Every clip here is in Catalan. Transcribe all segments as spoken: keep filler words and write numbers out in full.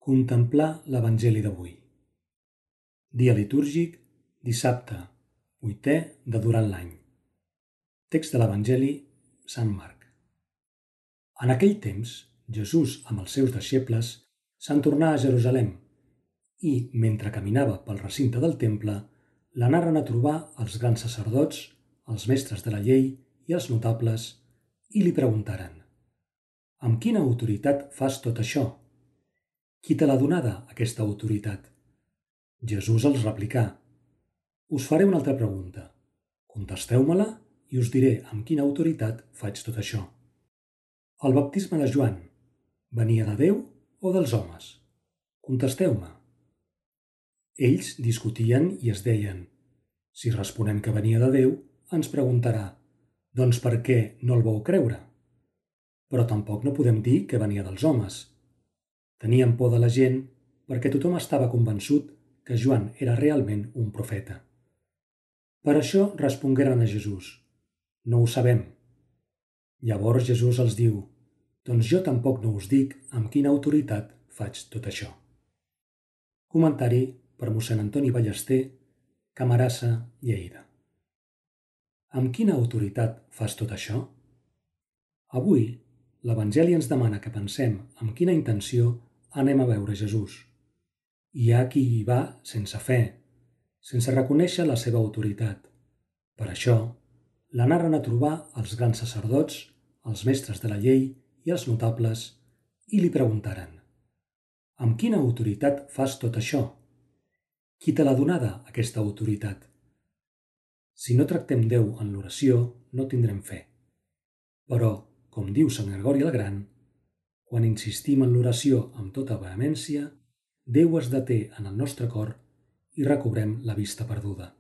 Contemplar l'Evangeli d'avui. Dia litúrgic, dissabte, vuitè de durant l'any. Text de l'Evangeli, Sant Marc. En aquell temps, Jesús amb els seus deixebles se'n tornà a Jerusalem i, mentre caminava pel recinte del temple, l'anaren a trobar els grans sacerdots, els mestres de la llei i els notables, i li preguntaren: «Amb quina autoritat fas tot això? Qui te l'ha donada, aquesta autoritat?» Jesús els replicà: «Us faré una altra pregunta. Contesteu-me-la i us diré amb quina autoritat faig tot això. El baptisme de Joan venia de Déu o dels homes? Contesteu-me». Ells discutien i es deien: «Si responem que venia de Déu, ens preguntarà: doncs per què no el vau creure? Però tampoc no podem dir que venia dels homes». Tenien por de la gent perquè tothom estava convençut que Joan era realment un profeta. Per això respongueren a Jesús: «No ho sabem». Llavors Jesús els diu: «Doncs jo tampoc no us dic amb quina autoritat faig tot això». Comentari per mossèn Antoni Ballester, Camarasa, Lleida. Amb quina autoritat fas tot això? Avui, l'Evangeli ens demana que pensem amb quina intenció anem a veure Jesús. Hi ha qui hi va sense fe, sense reconèixer la seva autoritat. Per això, l'anaren a trobar els grans sacerdots, els mestres de la llei i els notables, i li preguntaren: «Amb quina autoritat fas tot això? Qui te l'ha donada, aquesta autoritat?» Si no tractem Déu en l'oració, no tindrem fe. Però, com diu Sant Gregori el Gran, quan insistim en l'oració amb tota vehemència, Déu es deté en el nostre cor i recobrem la vista perduda.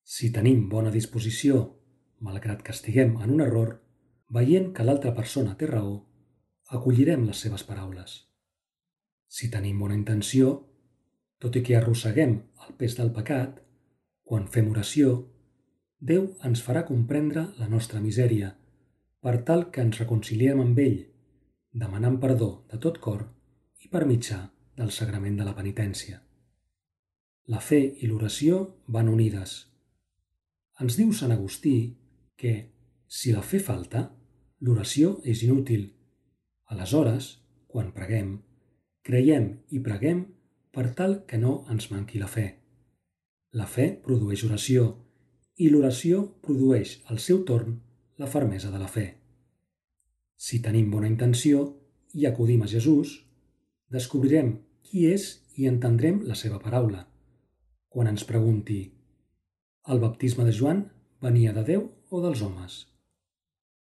Si tenim bona disposició, malgrat que estiguem en un error, veient que l'altra persona té raó, acollirem les seves paraules. Si tenim bona intenció, tot i que arrosseguem el pes del pecat, quan fem oració, Déu ens farà comprendre la nostra misèria, per tal que ens reconciliem amb ell, demanant perdó de tot cor i per mitjà del sagrament de la penitència. La fe i l'oració van unides. Ens diu Sant Agustí que, si la fe falta, l'oració és inútil. Aleshores, quan preguem, creiem i preguem per tal que no ens manqui la fe. La fe produeix oració i l'oració produeix al seu torn la fermesa de la fe. Si tenim bona intenció i acudim a Jesús, descobrirem qui és i entendrem la seva paraula. Quan ens pregunti: «El baptisme de Joan venia de Déu o dels homes?»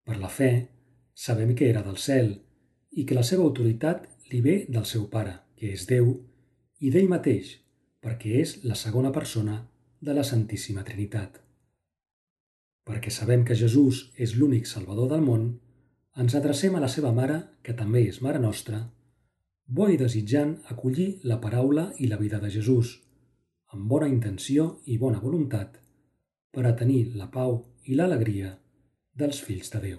Per la fe, sabem que era del cel i que la seva autoritat li ve del seu Pare, que és Déu, i d'ell mateix, perquè és la segona persona de la Santíssima Trinitat. Perquè sabem que Jesús és l'únic Salvador del món, ens adrecem a la seva Mare, que també és Mare nostra, bo i desitjant acollir la paraula i la vida de Jesús, amb bona intenció i bona voluntat, per a tenir la pau i l'alegria dels fills de Déu.